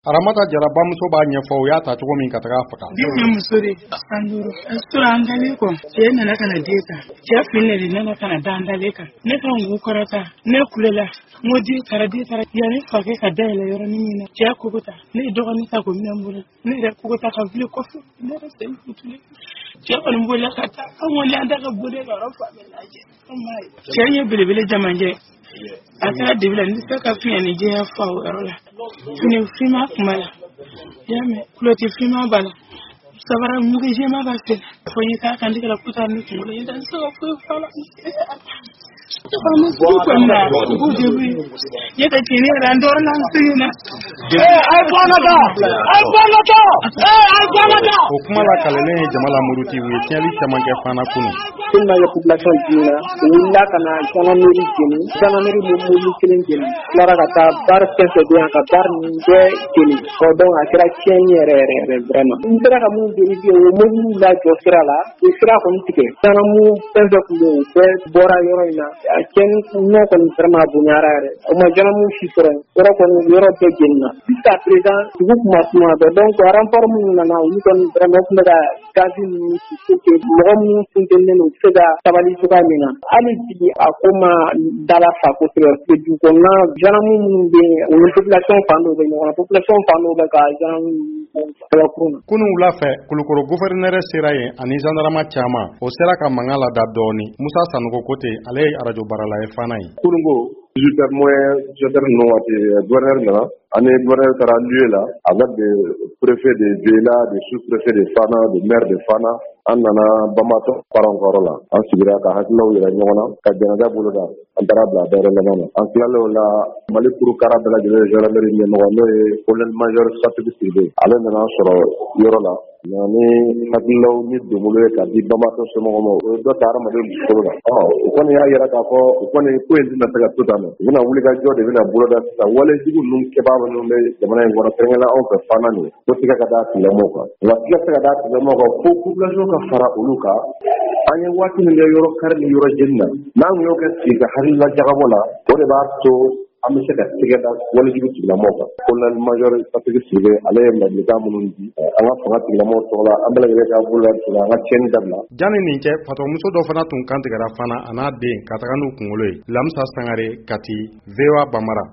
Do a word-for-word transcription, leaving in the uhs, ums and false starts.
Aramata Jara bamuso b'a ɲɛfɔ u y'a ta cogo min ka taga a faga. Den ye muso de san duuru a sɔrɔ an dalen kɔ, cɛ nana ka na den ta, cɛ fili de nana ka na da an dalen kan. Ne ka n kɔrɔta, ne kulela, n ko den taara, den taara. Yanni fakɛ ka dayɛlɛ yɔrɔnin min na, cɛ kogo ta, ne ye dɔgɔnin ta k'o minɛ n bolo, ne yɛrɛ kogo ta ka wuli kɔfɛ, ne yɛrɛ sen futulen. Cɛ kɔni bolila ka taa, an kɔni an da ka boli ka yɔrɔ fa bɛɛ lajɛ, an m'a ye. Cɛ ye belebele jamajɛ, a taara dibi la, n tɛ se ka fiɲɛ ni jɛya fa o yɔrɔ la. Fini finman kun b'a la, i y'a mɛn, kulɔti finman b'a la, sabara mugu jɛman b'a sen fo n ye k'a kan tigɛ la ko taa ni kunkolo ye, n tɛ se ka foyi fɔ a la. Faama sugu kɔni na, u degun ye ne tɛ tiɲɛ yɛrɛ, an tɔɔrɔ la, an sɛgɛn na. O kuma la kalelen ye jama la muruti, u ye tiɲɛli caman kɛ Fana kunun. Tellement que population dimina, u wulila ka na gendarmerie jeni, gendarmerie ye mobili kelen jeni, tilara ka taa bar fɛn fɛn bɛ yan ka bar ninnu bɛɛ jeni. Ɔ donc a kɛra tiɲɛni yɛrɛ yɛrɛ yɛrɛ vraiment. N sera ka mun vérifier, u ye mobiliw lajɔ sira la, u ye sira kɔni tigɛ, gendarme fɛn fɛn tun bɛ yen, u bɛɛ bɔra yɔrɔ in na. A tiɲɛni nɔ kɔni vraiment a bonyara yɛrɛ, o ma gendarme si sɔrɔ yen, yɔrɔ kɔni yɔrɔ bɛɛ jenina. Jusqu'à présent dugu kun ma suma bɛɛ, donc renfort minnu nana, olu kɔni vraiment tun bɛ ka gazi ninnu ci pour que mɔgɔ minnu funtenilen don, u bɛ se ka sabali cogoya min na. Hali bi a ko ma dala fa kosɛbɛ, parce que dugu kɔnɔna gendarme minnu bɛ yen, u ni population fan dɔw bɛ ɲɔgɔn na, population fan dɔw bɛ ka gendarme kabakuru na. Kunun wula fɛ, Kulukoro gouverneur sera yen ani gendarme caman, o sera ka mankan lada dɔɔni. Musa Sanogo ko ten, ale ye arajo baarala ye Fana ye. Kununko dix-huit heures moins dix-sept heures ninnu waati, gouverneur nana, ani gouverneur taara lieu la avec des préfets de Beyla, des sous-préfets de Fana, des maires de Fana. An nana Bamatɔ parents ka yɔrɔ la, an sigira ka hakililaw yira ɲɔgɔn na, ka janaja boloda, an taara bila dayɔrɔ laban na. An tilalen o la, Mali kurukara bɛɛ lajɛlen gendarmerie ɲɛmɔgɔ, n'o ye colonel major Satigi Sidibe, ale nana sɔrɔ yɔrɔ la nka ni hakililaw ni donbolo ye ka di Bamatɔ somɔgɔw ma, o ye dɔ ta hadamaden dusukolo la. Ɔ o kɔni y'a yira k'a fɔ o kɔni ko in tɛna se ka to tan nɔ, u bɛna wuli ka jɔ de bɛna boloda sisan. Walejugu ninnu kɛbaa minnu bɛ jamana in kɔnɔ, kɛrɛnkɛrɛnnenya anw fɛ Fana nin, ko tigɛ ka d'a tigilamɔgɔw kan, nka tigɛ tɛ ka d'a tigilamɔgɔw kan fo population ka fara olu kan. An ye waati min kɛ yɔrɔ kari ni yɔrɔ jeni na, n'an y'o kɛ sigi ka hakilila jagabɔ la, o de b'a to an bɛ se ka tigɛ da walejugu tigilamɔgɔw kan. Colonel major Satigi Sidibe, ale ye ladilikan minnu di an ka fanga tigilamɔgɔw tɔgɔ la, an bɛɛ lajɛlen k'an bolo la, an ka tiɲɛni dabila. Janni nin cɛ, fatɔmuso dɔ fana tun kan tigɛra Fana, a n'a den, ka taga n'u kunkolo ye. Lamisa Sangare, Kati, V O A Bambara.